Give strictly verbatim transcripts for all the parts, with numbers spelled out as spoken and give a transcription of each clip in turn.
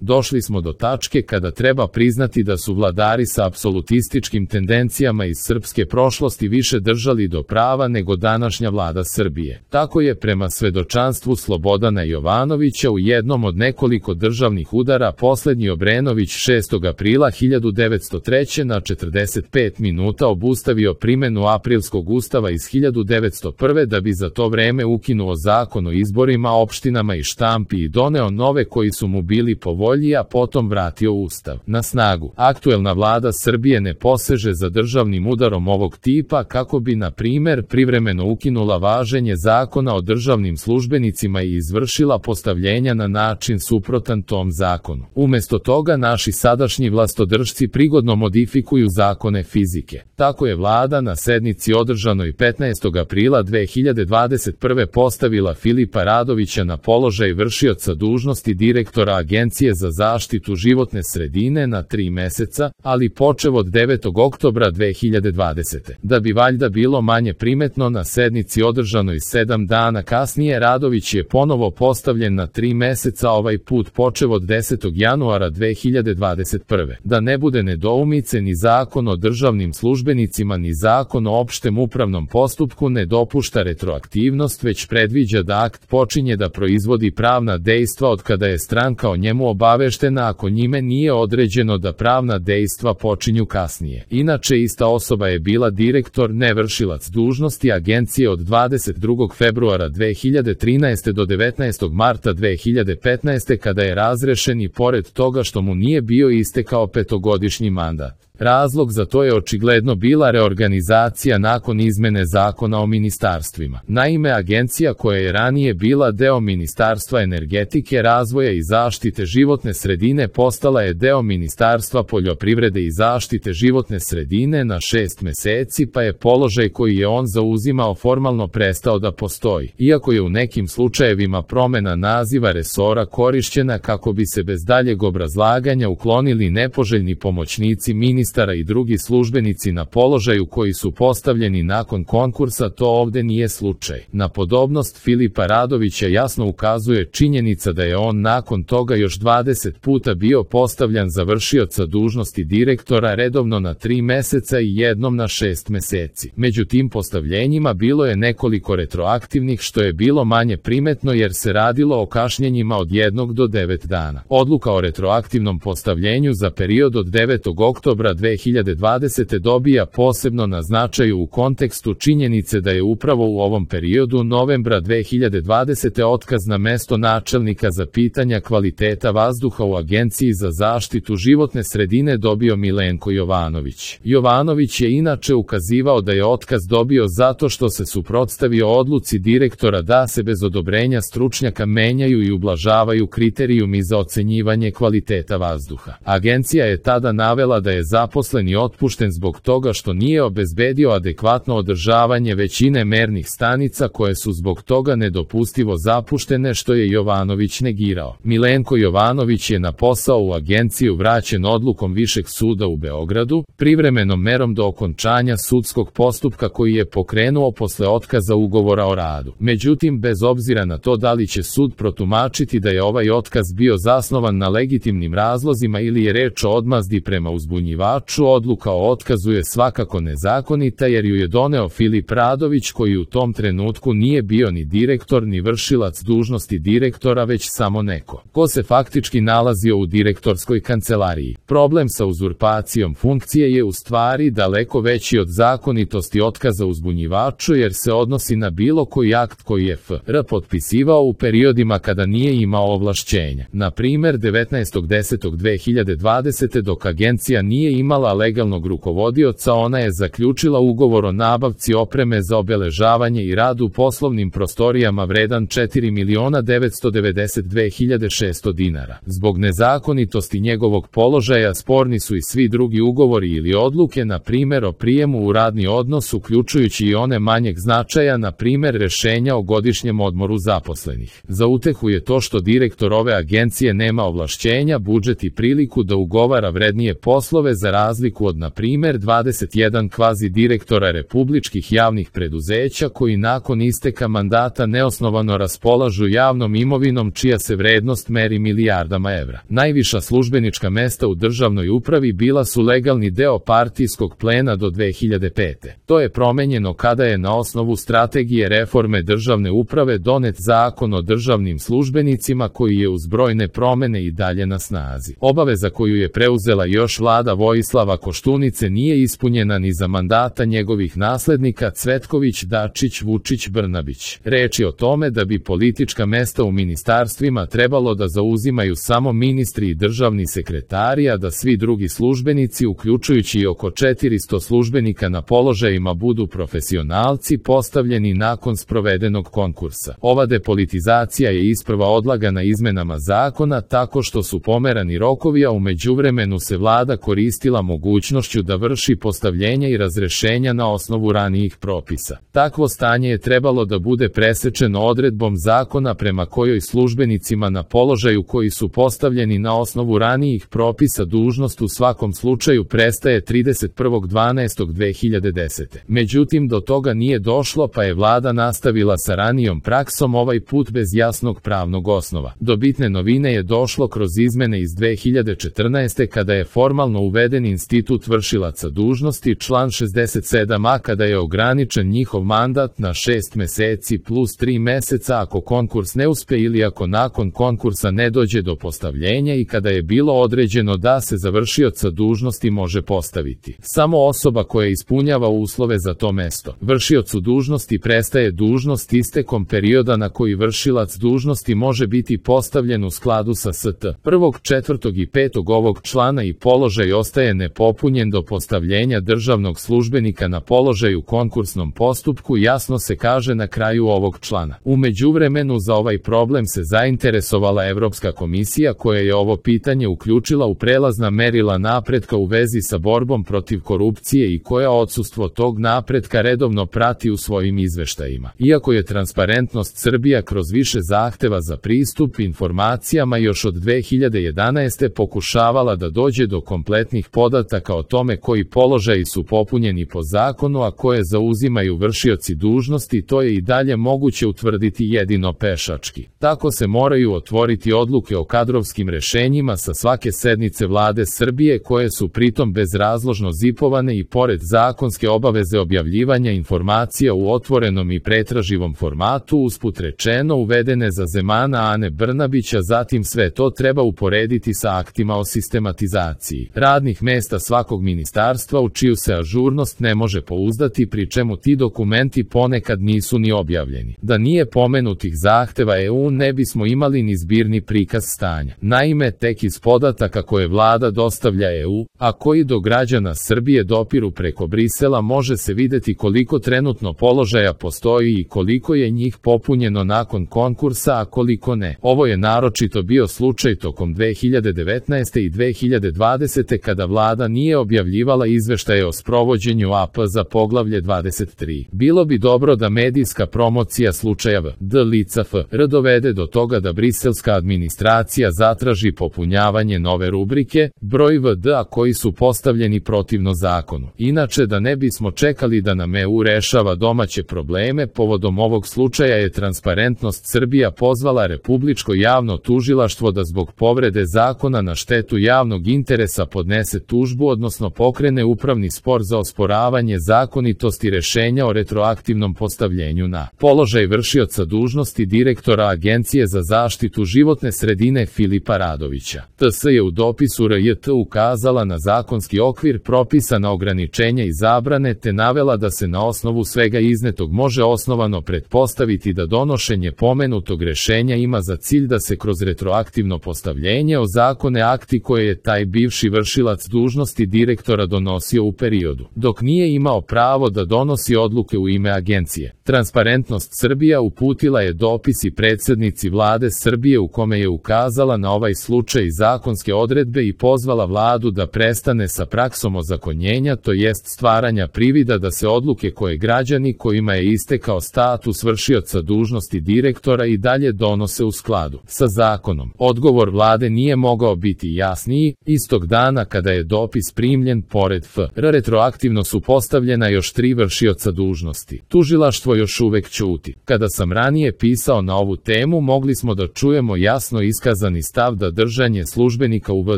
Došli smo do tačke kada treba priznati da su vladari sa apsolutističkim tendencijama iz srpske prošlosti više držali do prava nego današnja vlada Srbije. Tako je prema svedočanstvu Slobodana Jovanovića u jednom od nekoliko državnih udara poslednji Obrenović šestog aprila hiljadu devetsto treće. na četrdeset pet minuta obustavio primenu aprilskog ustava iz hiljadu devetsto prve. da bi za to vreme ukinuo zakon o izborima, opštinama i štampi i doneo nove koji su mu bili po volji, a potom vratio ustav na snagu. Aktuelna vlada Srbije ne poseže za državnim udarom ovog tipa kako bi, na primer, privremeno ukinula važenje zakona o državnim službenicima i izvršila postavljenja na način suprotan tom zakonu. Umesto toga, naši sadašnji vlastodržci prigodno modifikuju zakone fizike. Tako je vlada na sednici održanoj petnaestog aprila dve hiljade dvadeset prve. postavila Filipa Radovića na položaj vršioca dužnosti direktora Agencije za zaštitu životne sredine na tri meseca, ali počev od devetog oktobra dve hiljade dvadesete. Da bi valjda bilo manje primetno, na sednici održanoj sedam dana kasnije Radović je ponovo postavljen na tri meseca, ovaj put počev od desetog januara dve hiljade dvadeset prve. Da ne bude nedoumice, ni zakon o državnim službenicima ni zakon o opštem upravnom postupku ne dopušta retroaktivnost, već predviđa da akt počinje da proizvodi pravna dejstva od kada je stranka o njemu obaveštena, ako njime nije određeno da pravna dejstva počinju kasnije. Inače, ista osoba je bila direktor, ne vršilac dužnosti Agencije od dvadeset drugog februara dve hiljade trinaeste. do devetnaestog marta dve hiljade petnaeste. kada je razrešen i pored toga što mu nije bio istekao petogodišnji mandat. Razlog za to je očigledno bila reorganizacija nakon izmene zakona o ministarstvima. Naime, agencija koja je ranije bila deo Ministarstva energetike, razvoja i zaštite životne sredine postala je deo Ministarstva poljoprivrede i zaštite životne sredine na šest meseci, pa je položaj koji je on zauzimao formalno prestao da postoji. Iako je u nekim slučajevima promena naziva resora korišćena kako bi se bez daljeg obrazlaganja uklonili nepoželjni pomoćnici ministra i drugi službenici na položaju koji su postavljeni nakon konkursa, to ovde nije slučaj. Na podobnost Filipa Radovića jasno ukazuje činjenica da je on nakon toga još dvadeset puta bio postavljan za vršioca dužnosti direktora redovno na tri meseca i jednom na šest meseci. Među tim postavljenjima bilo je nekoliko retroaktivnih, što je bilo manje primetno jer se radilo o kašnjenjima od jednog do devet dana. Odluka o retroaktivnom postavljenju za period od devetog oktobra dve hiljade dvadesete. dobija posebno na značaju u kontekstu činjenice da je upravo u ovom periodu novembra dve hiljade dvadesete. otkaz na mesto načelnika za pitanja kvaliteta vazduha u Agenciji za zaštitu životne sredine dobio Milenko Jovanović. Jovanović je inače ukazivao da je otkaz dobio zato što se suprotstavio odluci direktora da se bez odobrenja stručnjaka menjaju i ublažavaju kriterijumi za ocenjivanje kvaliteta vazduha. Agencija je tada navela da je zaposleni otpušten zbog toga što nije obezbedio adekvatno održavanje većine mernih stanica koje su zbog toga nedopustivo zapuštene, što je Jovanović negirao. Milenko Jovanović je na posao u agenciju vraćen odlukom Višeg suda u Beogradu, privremenom merom do okončanja sudskog postupka koji je pokrenuo posle otkaza ugovora o radu. Međutim, bez obzira na to da li će sud protumačiti da je ovaj otkaz bio zasnovan na legitimnim razlozima ili je reč o odmazdi prema uzbunjivaču, odluka o otkazu je svakako nezakonita jer ju je doneo Filip Radović, koji u tom trenutku nije bio ni direktor ni vršilac dužnosti direktora, već samo neko ko se faktički nalazio u direktorskoj kancelariji. Problem sa uzurpacijom funkcije je u stvari daleko veći od zakonitosti otkaza uzbunjivaču jer se odnosi na bilo koji akt koji je F R potpisivao u periodima kada nije imao ovlašćenja. Na primer, devetnaestog desetog dve hiljade dvadesete. dok agencija nije imala legalnog rukovodioca, ona je zaključila ugovor o nabavci opreme za obeležavanje i rad u poslovnim prostorijama vredan četiri miliona devetsto devedeset dve hiljade šesto dinara. Zbog nezakonitosti njegovog položaja sporni su i svi drugi ugovori ili odluke, na primer o prijemu u radni odnos, uključujući i one manjeg značaja, na primer rešenja o godišnjem odmoru zaposlenih. Za utehu je to što direktor ove agencije nema ovlašćenja, budžet i priliku da ugovara vrednije poslove za razliku od na primjer dvadeset jedan kvazi direktora republičkih javnih preduzeća koji nakon isteka mandata neosnovano raspolažu javnom imovinom čija se vrednost meri milijardama evra. Najviša službenička mesta u državnoj upravi bila su legalni deo partijskog plena do dve hiljade pete. To je promenjeno kada je na osnovu strategije reforme državne uprave donet zakon o državnim službenicima koji je uz brojne promene i dalje na snazi. Obaveza koju je preuzela još vlada Vojislava Koštunice nije ispunjena ni za mandata njegovih naslednika Cvetković, Dačić, Vučić, Brnabić. Reč je o tome da bi politička mesta u ministarstvima trebalo da zauzimaju samo ministri i državni sekretari, a da svi drugi službenici, uključujući i oko četiristo službenika na položajima, budu profesionalci postavljeni nakon sprovedenog konkursa. Ova depolitizacija je isprva odlagana izmenama zakona tako što su pomerani rokovi, a u međuvremenu se vlada koristila mogućnošću da vrši postavljenja i razrešenja na osnovu ranijih propisa. Takvo stanje je trebalo da bude presečeno odredbom zakona prema kojoj službenicima na položaju koji su postavljeni na osnovu ranijih propisa dužnost u svakom slučaju prestaje trideset prvog dvanaestog dve hiljade desete. Međutim, do toga nije došlo, pa je vlada nastavila sa ranijom praksom, ovaj put bez jasnog pravnog osnova. Do bitne novine je došlo kroz izmene iz dve hiljade četrnaeste. kada je formalno uveden institut vršilaca dužnosti, član šezdeset sedam a, kada je ograničen njihov mandat na šest meseci plus tri meseca ako konkurs ne uspe ili ako nakon konkursa ne dođe do postavljenja, i kada je bilo određeno da se za vršioca dužnosti može postaviti samo osoba koja ispunjava uslove za to mesto. Vršiocu dužnosti prestaje dužnost istekom perioda na koji vršilac dužnosti može biti postavljen u skladu sa st. prvog, četvrtog i petog ovog člana i položaj ostaje nepopunjen do postavljenja državnog službenika na položaj u konkursnom postupku, jasno se kaže na kraju ovog člana. U međuvremenu za ovaj problem se zainteresovala Evropska komisija, koja je ovo pitanje uključila u prelazna merila napretka u vezi sa borbom protiv korupcije i koja odsustvo tog napretka redovno prati u svojim izveštajima. Iako je Transparentnost Srbija kroz više zahteva za pristup informacijama još od dve hiljade jedanaeste. pokušavala da dođe do kompletnih podataka o tome koji položaji su popunjeni po zakonu, a koje zauzimaju vršioci dužnosti, to je i dalje moguće utvrditi jedino pešački. Tako se moraju otvoriti odluke o kadrovskim rešenjima sa svake sednice vlade Srbije, koje su pritom bezrazložno zipovane i pored zakonske obaveze objavljivanja informacija u otvorenom i pretraživom formatu, usput rečeno uvedene za Zemana Ane Brnabića. Zatim sve to treba uporediti sa aktima o sistematizaciji radnih mesta svakog ministarstva u čiju se ažurnost ne može pouzdati, pri čemu ti dokumenti ponekad nisu ni objavljeni. Da nije pomenutih zahteva E U ne bismo imali ni zbirni prikaz stanja. Naime, tek iz podataka koje vlada dostavlja E U, a koji do građana Srbije dopiru preko Brisela, može se videti koliko trenutno položaja postoji i koliko je njih popunjeno nakon konkursa, a koliko ne. Ovo je naročito bio slučaj tokom dve hiljade devetnaeste. i dve hiljade dvadesete. kada vlada nije objavljivala izveštaje o sprovođenju A P za poglavlje dvadeset tri. Bilo bi dobro da medijska promocija slučaja V D lica F R dovede do toga da briselska administracija zatraži popunjavanje nove rubrike, broj V D, a koji su postavljeni protivno zakonu. Inače, da ne bismo čekali da nam E U rešava domaće probleme, povodom ovog slučaja je Transparentnost Srbija pozvala Republičko javno tužilaštvo da zbog povrede zakona na štetu javnog interesa podnese tužbu, odnosno pokrene upravni spor za osporavanje zakonitosti rešenja o retroaktivnom postavljenju na položaj vršioca dužnosti direktora Agencije za zaštitu životne sredine Filipa Radovića. T S je u dopisu R J T ukazala na zakonski okvir, propisana ograničenja i zabrane, te navela da se na osnovu svega iznetog može osnovano pretpostaviti da donošenje pomenutog rešenja ima za cilj da se kroz retroaktivno postavljenje ozakone akti koje je taj bivši vršilac dužnosti direktora donosio u periodu dok nije imao pravo da donosi odluke u ime agencije. Transparentnost Srbija uputila je dopis i predsednici vlade Srbije u kome je ukazala na ovaj slučaj i zakonske odredbe i pozvala vladu da prestane sa praksom ozakonjenja, to jest stvaranja privida da se odluke koje građani kojima je istekao status vršioca dužnosti direktora i dalje donose u skladu sa zakonom. Odgovor vlade nije mogao biti jasniji. Istog dana kada je dopis primljen pored F R retroaktivno su postavljena još tri vršioca dužnosti. Tužilaštvo još uvek ćuti. Kada sam ranije pisao na ovu temu, mogli smo da čujemo jasno iskazani stav da držanje službenika u V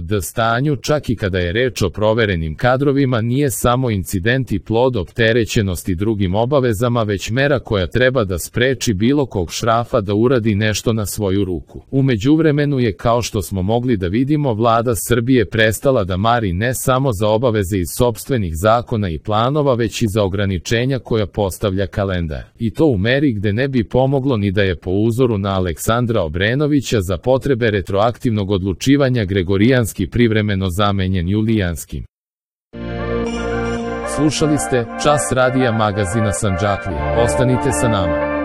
D stanju, čak i kada je reč o proverenim kadrovima, nije samo incident i plod opterećenosti drugim obavezama, već mera koja treba da spreči bilo kog šrafa da uradi nešto na svoju ruku. U međuvremenu je, kao što smo mogli da vidimo, vlada Srbije prestala da mari ne samo za obaveze iz sopstvenih zakona i planova, već i za ograničenja koja postavlja kalendar. I to u meri gde ne bi pomoglo ni da je po uzoru na Aleksandra Obrenovića za potrebe retroaktivnog odlučivanja Gregorijanski privremeno zamenjen Julijanskim. Slušali ste Čas radija magazina Sandžaklije. Ostanite sa nama.